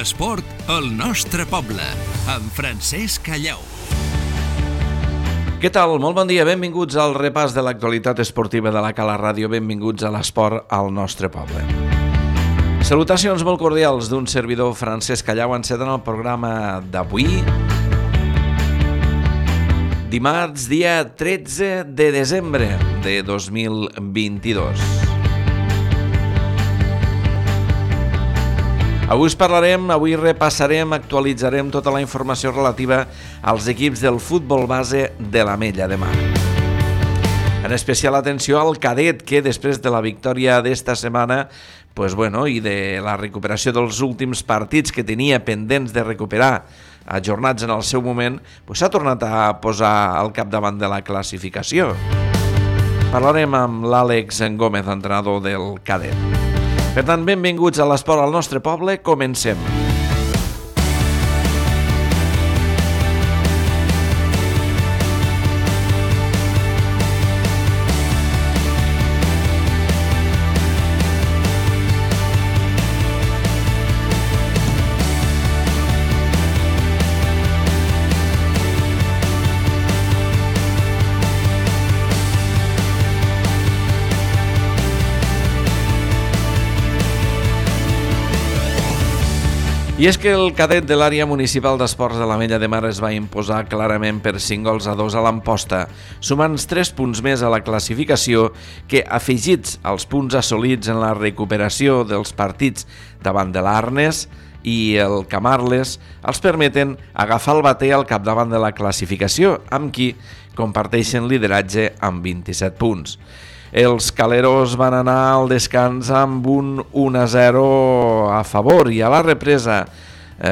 L'esport al nostre poble, amb Francesc Callau. Què tal? Molt bon dia, benvinguts al repàs de l'actualitat esportiva de la Cala Ràdio, benvinguts a l'esport al nostre poble. Salutacions molt cordials d'un servidor Francesc Callau, enceten el programa d'avui, dimarts, dia 13 de desembre de 2022. Avui repassarem, actualitzarem tota la informació relativa als equips del futbol base de l'Ametlla de Mar. En especial atenció al cadet, que després de la victòria d'esta setmana i de la recuperació dels últims partits que tenia pendents de recuperar ajornats en el seu moment, s'ha tornat a posar al capdavant de la classificació. Parlarem amb l'Àlex Gómez, entrenador del cadet. Per tant, benvinguts a l'esport al nostre poble, comencem. I és que el cadet de l'àrea municipal d'esports de l'Ametlla de Mar es va imposar clarament per 5-2 a l'Amposta, sumant 3 punts més a la classificació que, afegits als punts assolits en la recuperació dels partits davant de l'Arnes i el Camarles, els permeten agafar el bater al capdavant de la classificació, amb qui comparteixen lideratge amb 27 punts. Els caleros van anar al descans amb un 1-0 a favor i a la represa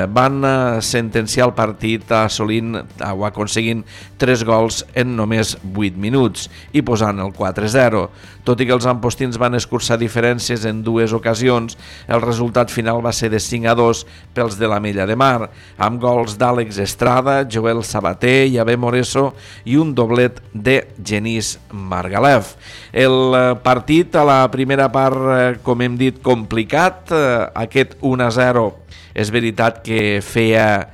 van sentenciar el partit aconseguint 3 gols en només 8 minuts i posant el 4-0. Tot i que els ampostins van escurçar diferències en 2 ocasions, el resultat final va ser de 5-2 pels de l'Ametlla de Mar, amb gols d'Àlex Estrada, Joel Sabater, Javé Moreso i un doblet de Genís Margalef. El partit a la primera part, com hem dit, complicat. Aquest 1-0 és veritat que feia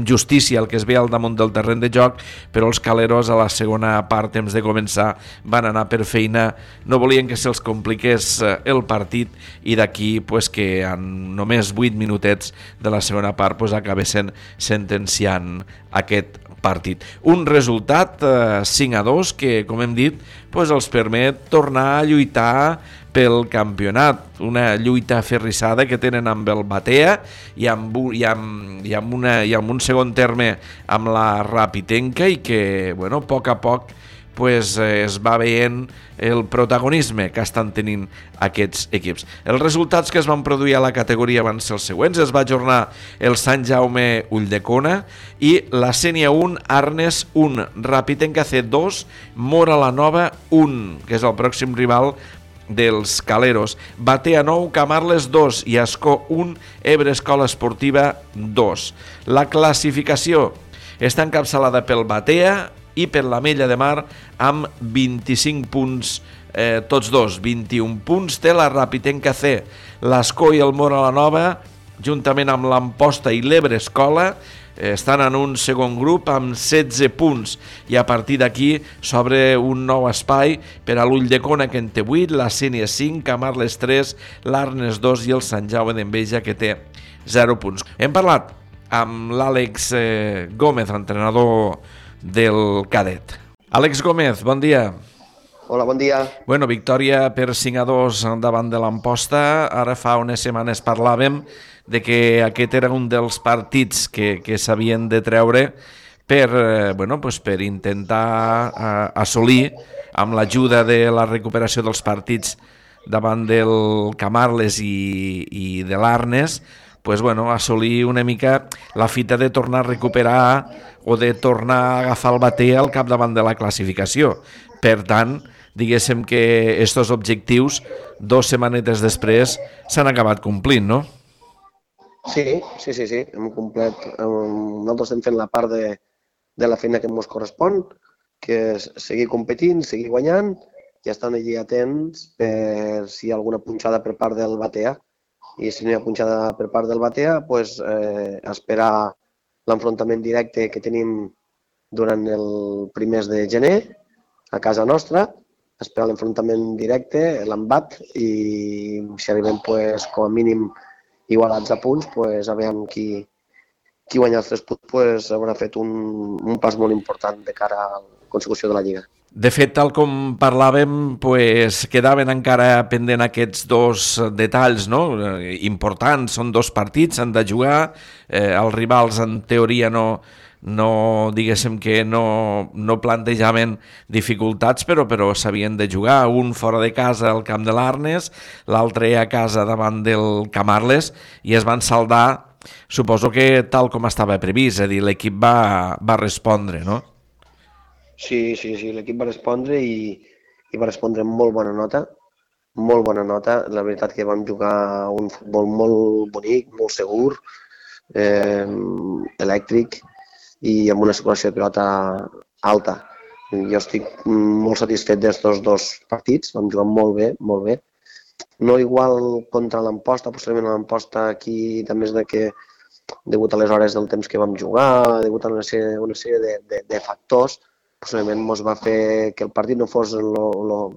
justícia al que es veia al damunt del terreny de joc, però els caleros a la segona part, temps de començar, van anar per feina, no volien que se'ls compliqués el partit i d'aquí que en només 8 minutets de la segona part acabessin sentenciant aquest partit. Un resultat 5-2 que, com hem dit, els permet tornar a lluitar pel campionat, una lluita aferrissada que tenen amb el Batea i amb un segon terme amb la Rapitenca i que, a poc es va veient el protagonisme que estan tenint aquests equips. Els resultats que es van produir a la categoria van ser els següents. Es va ajornar el Sant Jaume Ulldecona i la Sénia 1, Arnes 1, Rapitenca C2, Móra la Nova 1, que és el pròxim rival dels caleros, Batea 9, Camarles 2 i Ascó 1, Ebre Escola Esportiva 2. La classificació està encapçalada pel Batea i per l'Ametlla de Mar amb 25 punts, tots dos, 21 punts té la Rapitenca C. L'Ascó i el Móra la Nova, juntament amb l'Amposta i l'Ebre Escola, estan en un segon grup amb 16 punts i a partir d'aquí s'obre un nou espai per a l'Ulldecona, que en té 8, la Sénia 5, Camarles 3, l'Arnes 2 i el Sant Jaume d'Enveja, que té 0 punts. Hem parlat amb l'Àlex Gómez, entrenador del cadet. Àlex Gómez, bon dia. Hola, bon dia. Victòria per 5-2 davant de l'Amposta. Ara fa unes setmanes parlàvem de que aquest era un dels partits que s'havien de treure per intentar assolir, amb l'ajuda de la recuperació dels partits davant del Camarles i de l'Arnes, assolir una mica la fita de tornar a recuperar o de tornar a agafar el bater al capdavant de la classificació. Per tant, diguéssim que aquests objectius, 2 setmanetes després, s'han acabat complint, no? Sí, hem complert. Nosaltres estem fent la part de la feina que ens correspon, que és seguir competint, seguir guanyant i estan allí atents per si hi ha alguna punxada per part del Batea i si no hi ha punxada per part del Batea, pues, esperar l'enfrontament directe que tenim durant el primers de gener a casa nostra, esperar l'enfrontament directe, l'embat, i si arribem pues, com a mínim igualats a punts, pues, a veure qui guanya els 3 punts pues, haurà fet un pas molt important de cara a la consecució de la Lliga. De fet, tal com parlàvem, pues, quedaven encara pendent aquests 2 detalls, no? Importants, són 2 partits, s'han de jugar, els rivals en teoria no diguéssim que no plantejaven dificultats, però s'havien de jugar, un fora de casa al camp de l'Arnes, l'altre a casa davant del Camarles, i es van saldar, suposo que tal com estava previst, és a dir, l'equip va respondre, no? Sí, l'equip va respondre i va respondre amb molt bona nota. Molt bona nota. La veritat que vam jugar un futbol molt bonic, molt segur, elèctric i amb una circulació de pilota alta. Jo estic molt satisfet d'estos 2 partits, vam jugar molt bé, molt bé. No igual contra l'Amposta, possiblement l'Amposta aquí també és que degut a les hores del temps que vam jugar, degut a una sèrie de factors, possiblement ens va fer que el partit no fos lo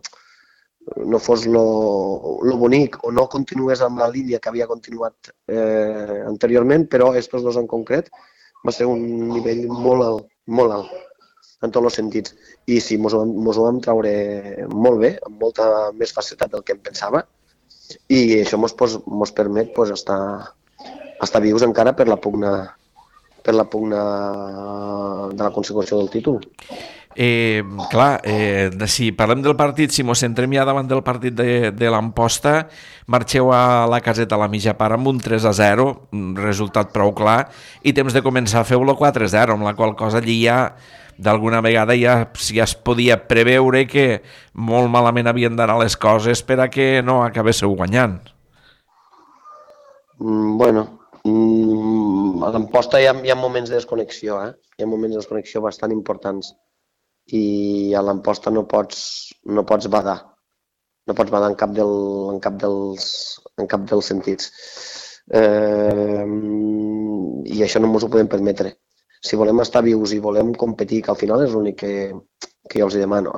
bonic o no continués amb la línia que havia continuat anteriorment, però aquests 2 en concret va ser un nivell molt alt, en tots els sentits. I sí, ens ho vam treure molt bé, amb molta més facilitat del que em pensava, i això ens permet estar vius encara per la pugna de la consecució del títol. Si parlem del partit, si mos centrem ja davant del partit de l'Amposta, marxeu a la caseta a la mitja part amb un 3-0, un resultat prou clar, i temps de començar a fer-lo 4-0, amb la qual cosa allí ja d'alguna vegada ja es podia preveure que molt malament havien d'anar les coses per a que no acabéssiu guanyant. A l'Amposta hi ha moments de desconnexió, hi ha moments de desconnexió bastant importants, i a l'Amposta no pots badar, en cap dels sentits. I això no ens ho podem permetre. Si volem estar vius i volem competir, que al final és l'únic que jo els demano,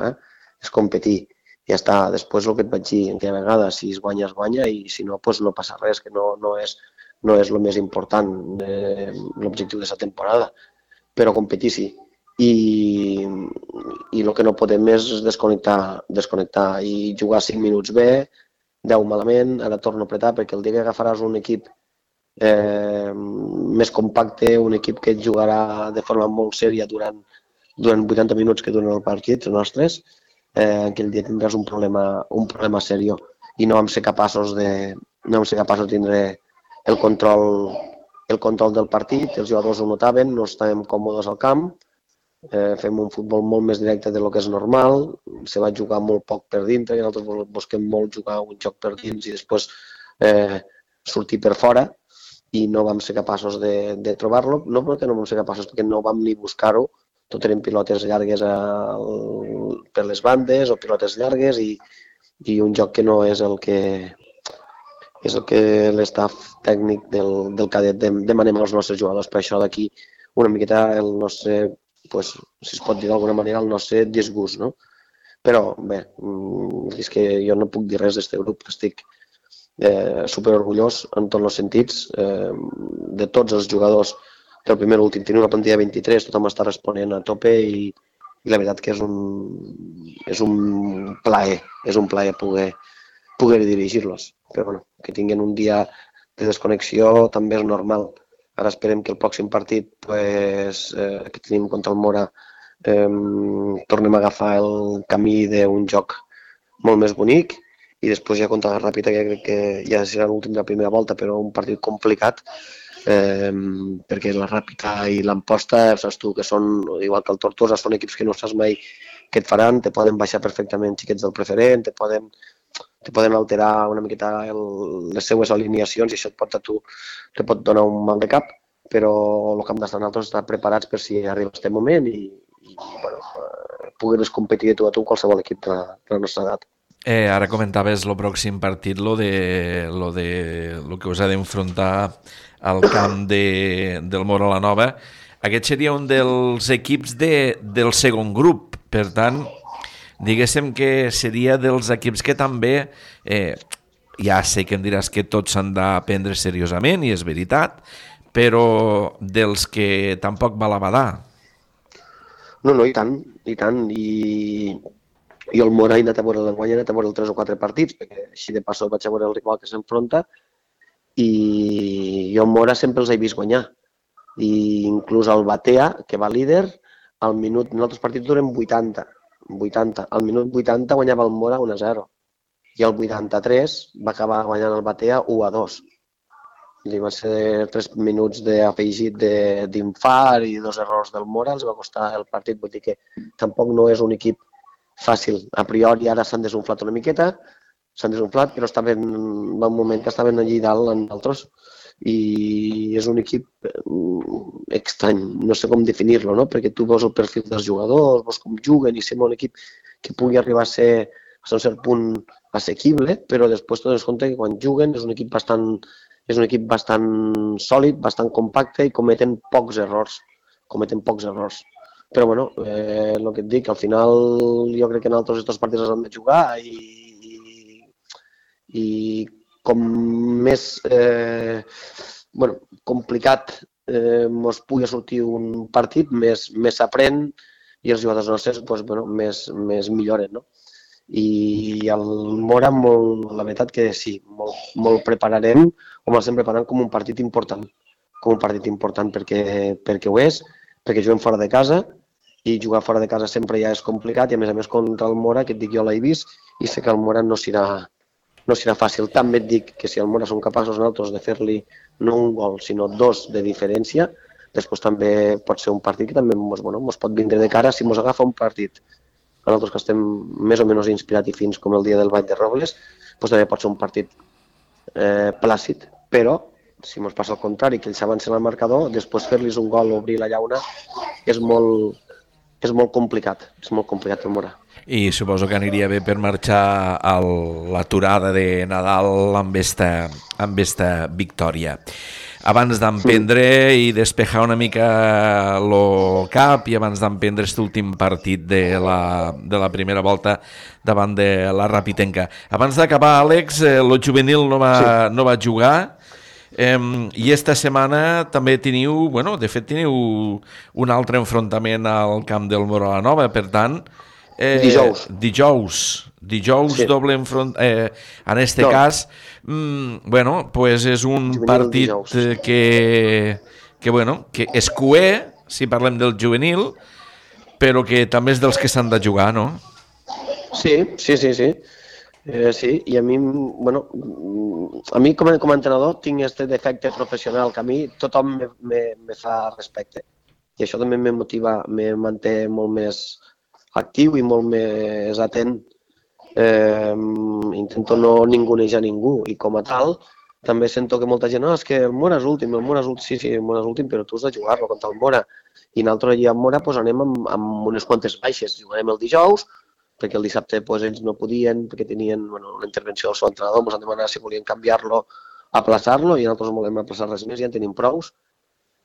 és competir. Ja està, després el que et vaig dir aquella vegada, si es guanya, i si no, doncs no passa res, que no és el més important, l'objectiu d'aquesta temporada, però competir sí. I el que no podem és desconnectar i jugar 5 minuts bé, 10 malament, ara torno a apretar, perquè el dia que agafaràs un equip més compacte, un equip que et jugarà de forma molt sèria durant 80 minuts que duren el partit, els nostres, aquell dia tindràs un problema seriós, i no vam ser capaços de tindre el control del partit. Els jugadors ho notaven, no estàvem còmodes al camp, fem un futbol molt més directe del que és normal, se va jugar molt poc per dintre, i nosaltres busquem molt jugar un joc per dins i després sortir per fora, i no vam ser capaços de trobar-lo, no perquè no vam ser capaços, perquè no vam ni buscar-ho, tot eren pilotes llargues per les bandes o pilotes llargues i un joc que no és el que l'estaf tècnic del cadet demanem als nostres jugadors. Per això d'aquí una miqueta el nostre, si es pot dir d'alguna manera, el nostre disgust, no? Però bé, és que jo no puc dir res d'aquest grup, estic superorgullós en tots els sentits, de tots els jugadors del primer a l'últim. Tenim una plantilla de 23, tothom està responent a tope i la veritat que és un plaer poder dirigir-los. Però bueno, que tinguin un dia de desconnexió també és normal. Ara esperem que el pròxim partit que tenim contra el Mora tornem a agafar el camí d'un joc molt més bonic, i després ja contra la Ràpita, que crec que ja serà l'últim de la primera volta, però un partit complicat, perquè la Ràpita i l'Amposta, saps tu, que són, igual que el Tortosa, són equips que no saps mai què et faran, te poden baixar perfectament xiquets del preferent, te poden alterar una miqueta les seues alineacions, i això te pot donar un mal de cap, però el que hem d'estar nosaltres estar preparats per si arriba aquest moment i poder competir de tu a tu qualsevol equip de la nostra edat. Ara comentaves el pròxim partit, lo que us ha d'enfrontar al camp del Móra la Nova. Aquest seria un dels equips del segon grup, per tant, diguéssim que seria dels equips que també, ja sé que em diràs que tots s'han de prendre seriosament, i és veritat, però dels que tampoc va la badar. No, i tant, i el Móra he anat a veure l'enguany, he anat a veure 3 o 4 partits, perquè així de passó vaig a veure el rival que s'enfronta, i jo el Móra sempre els he vist guanyar. I inclús el Batea, que va líder, al minut, en altres partits duren 80. Al minut 80 guanyava el Móra 1-0, i al 83 va acabar guanyant el Batea 1-2. Va ser 3 minuts d'afegit d'infart i 2 errors del Móra, els va costar el partit, vull dir que tampoc no és un equip fàcil. A priori ara s'han desunflat una miqueta, però va un moment que estaven allí dalt en altres, i és un equip estrany, no sé com definir-lo, no? Perquè tu veus el perfil dels jugadors, veus com juguen, i sembla un equip que pugui arribar a ser un cert punt assequible, però després t'adones compte que quan juguen és un equip bastant sòlid, bastant compacte, i cometen pocs errors. Però bueno, el que et dic, al final jo crec que en altres aquests partits els han de jugar, i com més complicat ens pugui sortir un partit, més s'aprèn, i els jugadors nostres més milloren, no? I el Móra, la veritat que sí, molt prepararem, o l'estem preparant com un partit important, perquè ho és, perquè juguem fora de casa, i jugar fora de casa sempre ja és complicat, i a més contra el Móra, que et dic, jo l'he vist, i sé que el Móra no serà fàcil. També et dic que si el Móra som capaços nosaltres de fer-li no un gol, sinó 2 de diferència, després també pot ser un partit que també ens pot vindre de cara si ens agafa un partit. Nosaltres que estem més o menys inspirats i fins com el dia del Vall de Robles, també pot ser un partit plàcid, però si ens passa el contrari, que ells avancen al marcador, després fer-los un gol o obrir la llauna és molt complicat, el Móra. I suposo que aniria bé per marxar a l'aturada de Nadal amb esta victòria. Abans d'emprendre i despejar una mica el cap, i abans d'emprendre aquest últim partit de la primera volta davant de la Rapitenca. Abans d'acabar, Àlex, el juvenil no va jugar, i esta setmana també teniu un altre enfrontament al camp del Móra la Nova, per tant, dijous sí. Doble enfront, en este cas és un partit que és cué, si parlem del juvenil, però que també és dels que s'han de jugar, no? Sí, i a mi com a entrenador tinc aquest defecte professional, que a mi tothom me fa respecte, i això també me motiva, me manté molt més actiu i molt més atent. Intento no ningunejar ningú, i com a tal també sento que molta gent, és que el Móra és últim, sí, el Móra és últim, però tu has de jugar-lo contra el Móra, i nosaltres allà al Móra anem amb unes quantes baixes. Jugarem el dijous, perquè el dissabte ells no podien, perquè tenien una intervenció del seu entrenador, ens han demanat si volien canviar-lo, aplaçar-lo, i nosaltres no volem aplaçar res més, ja en tenim prous,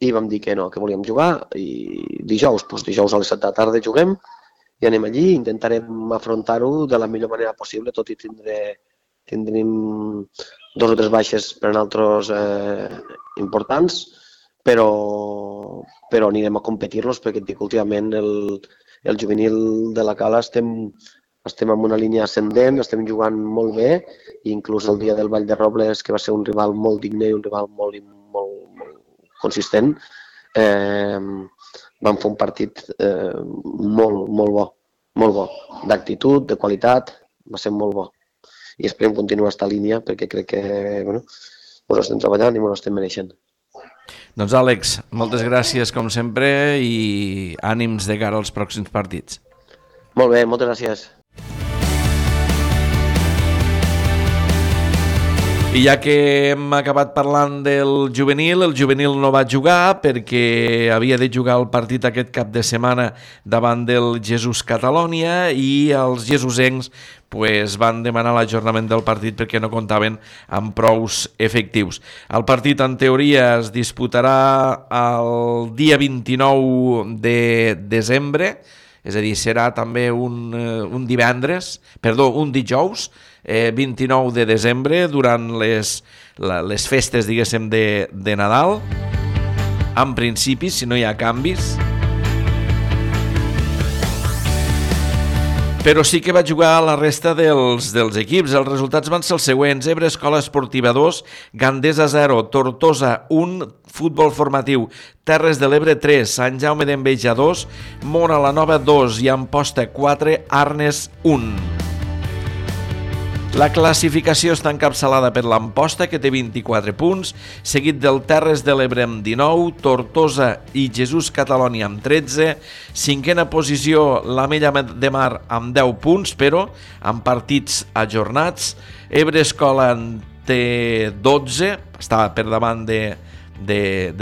i vam dir que no, que volíem jugar, i dijous a les 7 de la tarda juguem, i anem allí, intentarem afrontar-ho de la millor manera possible, tot i tindrem 2 o 3 baixes per a nosaltres importants, però anirem a competir-los, perquè et dic, últimament el juvenil de la Cala estem en una línia ascendent, estem jugant molt bé, i inclús el dia del Vall de Robles, que va ser un rival molt digne i un rival molt consistent, vam fer un partit molt bo, d'actitud, de qualitat, va ser molt bo. I esperem continuar aquesta línia, perquè crec que ens estem treballant i ens estem mereixent. Doncs Àlex, moltes gràcies com sempre, i ànims de cara als pròxims partits. Molt bé, moltes gràcies. I ja que hem acabat parlant del juvenil, el juvenil no va jugar perquè havia de jugar el partit aquest cap de setmana davant del Jesús Catalònia i els jesusencs van demanar l'ajornament del partit perquè no comptaven amb prous efectius. El partit, en teoria, es disputarà el dia 29 de desembre, és a dir, serà també un dijous, 29 de desembre, durant les festes, diguéssim, de Nadal, en principi, si no hi ha canvis. Però sí que va jugar a la resta dels equips. Els resultats van ser els següents: Ebre Escola Esportiva 2, Gandesa 0, Tortosa 1, Futbol Formatiu Terres de l'Ebre 3, Sant Jaume d'Enveja 2, Móra la Nova 2 i Amposta 4, Arnes 1. La classificació està encapçalada per l'Amposta, que té 24 punts, seguit del Terres de l'Ebre amb 19, Tortosa i Jesús Catalònia amb 13, cinquena posició l'Amella de Mar amb 10 punts, però amb partits ajornats. Ebre Escola en té 12, està per davant de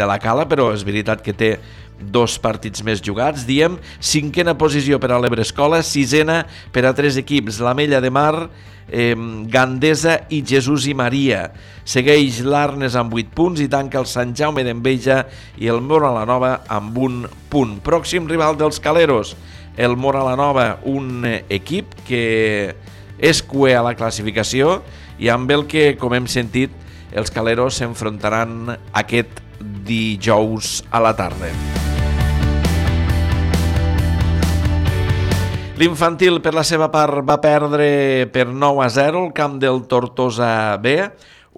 la Cala, però és veritat que té 2 partits més jugats, diem. Cinquena posició per a l'Ebre Escola, sisena per a 3 equips, l'Amella de Mar, Gandesa i Jesús i Maria. Segueix l'Arnes amb 8 punts i tanca el Sant Jaume d'Enveja i el Móra la Nova amb 1 punt. Pròxim rival dels Caleros, el Móra la Nova, un equip que és cuer a la classificació i amb el que, com hem sentit, els Caleros s'enfrontaran aquest dijous a la tarda. L'infantil, per la seva part, va perdre per 9-0 el camp del Tortosa B,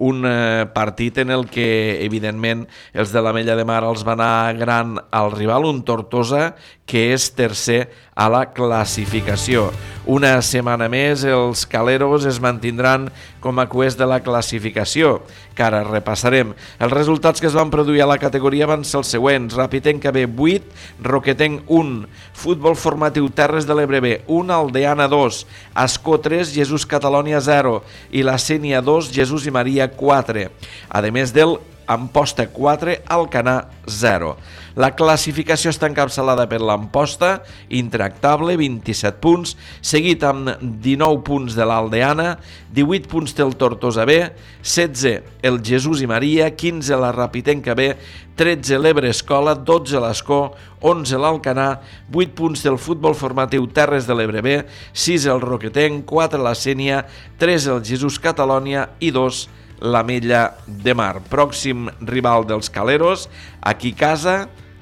un partit en el que, evidentment, els de l'Amella de Mar els van anar gran al rival, un Tortosa que és tercer a la classificació. Una setmana més, els Caleros es mantindran com a cuers de la classificació, que ara repassarem. Els resultats que es van produir a la categoria van ser els següents: Rapitenca B 8, Roquetenc 1, Futbol Formatiu Terres de l'Ebre B 1, Aldeana 2, Ascó 3, Jesús Catalònia 0 i la Sénia 2, Jesús i Maria 4, a més del Amposta 4, Alcanar 0. La classificació està encapçalada per l'Amposta, intractable, 27 punts, seguit amb 19 punts de l'Aldeana, 18 punts del Tortosa B, 16 el Jesús i Maria, 15 la Rapitenca B, 13 l'Ebre Escola, 12 l'Ascó, 11 l'Alcanar, 8 punts del Futbol Formatiu Terres de l'Ebre B, 6 el Roquetenc, 4 la Sénia, 3 el Jesús Catalònia i 2 l'Amella de Mar. Pròxim rival dels Caleros, aquí a casa,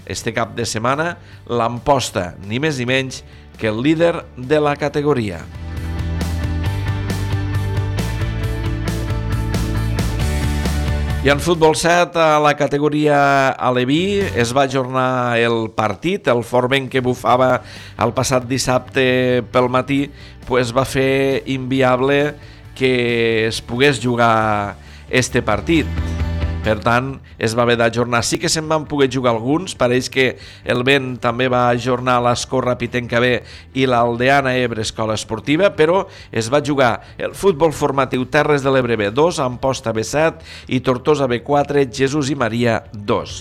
este cap de setmana, l'Amposta, ni més ni menys que el líder de la categoria. I en futbol 7, a la categoria aleví, es va ajornar el partit. El Forment, que bufava el passat dissabte pel matí, va fer inviable que es pogués jugar este partit. Per tant, es va haver d'ajornar. Sí que se'n van poder jugar alguns. Pareix que el Vent també va ajornar l'Ascó Rapitenca B i l'Aldeana Ebre Escola Esportiva, però es va jugar el Futbol Formatiu Terres de l'Ebre B 2, Amposta B 7 i Tortosa B 4, Jesús i Maria 2.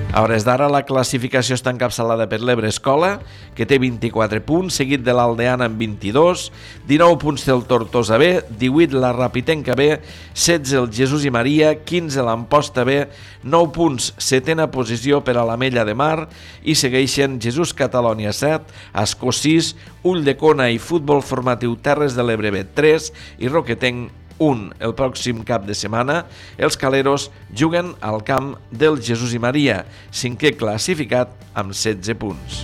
A hores d'ara, la classificació està encapçalada per l'Ebre Escola, que té 24 punts, seguit de l'Aldeana amb 22, 19 punts del Tortosa B, 18 la Rapitenca B, 16 el Jesús i Maria, 15 l'Amposta B, 9 punts, setena posició per a l'Amella de Mar, i segueixen Jesús Catalònia 7, Ascó 6, Ulldecona i Futbol Formatiu Terres de l'Ebre B 3 i Roquetenc 1. El pròxim cap de setmana, els Caleros juguen al camp del Jesús i Maria, cinquè classificat amb 16 punts.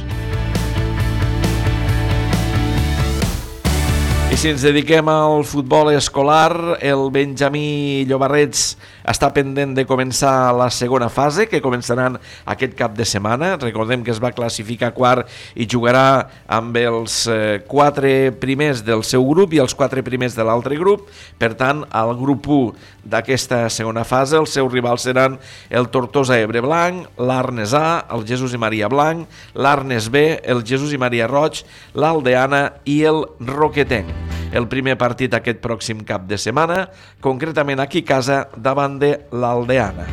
I si ens dediquem al futbol escolar, el Benjamí Llobarrets està pendent de començar la segona fase, que començaran aquest cap de setmana. Recordem que es va classificar quart i jugarà amb els 4 primers del seu grup i els 4 primers de l'altre grup. Per tant, al grup 1 d'aquesta segona fase, els seus rivals seran el Tortosa Ebre Blanc, l'Arnes A, el Jesús i Maria Blanc, l'Arnes B, el Jesús i Maria Roig, l'Aldeana i el Roquetenc. el primer partit aquest pròxim cap de setmana, concretament aquí a casa davant de l'Aldeana.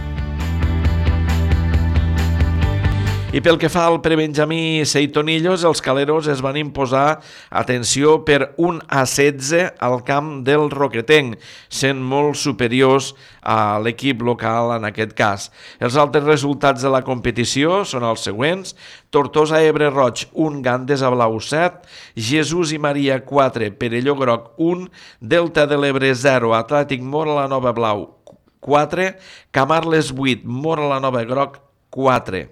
I pel que fa al prebenjamí Seitonillos, els caleros es van imposar, atenció, per 1-16 al camp del Roquetenc, sent molt superiors a l'equip local en aquest cas. Els altres resultats de la competició són els següents: Tortosa Ebre Roig 1, Gandes a Blau 7, Jesús i Maria 4, Perelló Groc 1, Delta de l'Ebre 0, Atlètic Móra la Nova Blau 4, Camarles 8, Móra la Nova Groc 4.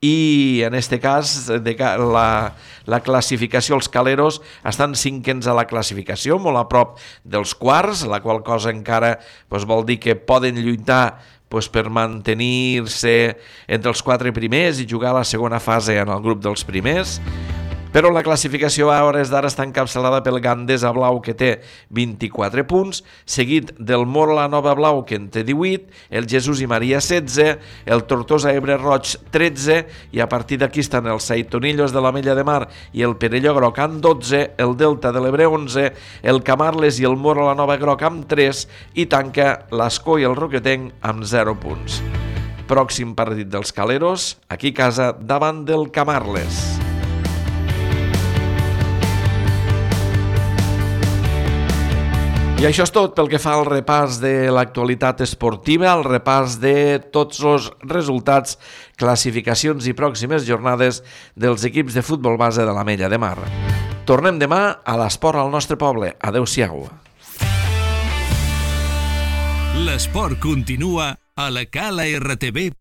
I en aquest cas la classificació, els caleros estan cinquens a la classificació, molt a prop dels quarts, la qual cosa encara vol dir que poden lluitar per mantenir-se entre els 4 primers i jugar a la segona fase en el grup dels primers. Però la classificació a hores d'ara està encapçalada pel Gandes a Blau, que té 24 punts, seguit del Móra la Nova Blau, que en té 18, el Jesús i Maria 16, el Tortosa Ebre Roig 13, i a partir d'aquí estan els Seitonillos de l'Ametlla de Mar i el Perelló Groc amb 12, el Delta de l'Ebre 11, el Camarles i el Móra la Nova Groc amb 3, i tanca l'Escó i el Roquetenc amb 0 punts. Pròxim partit dels caleros, aquí a casa davant del Camarles. I això és tot pel que fa al repàs de l'actualitat esportiva, al repàs de tots els resultats, classificacions i pròximes jornades dels equips de futbol base de l'Ametlla de Mar. Tornem demà a l'Esport al nostre poble. Adéu-siau. L'esport continua a la calartv.cat.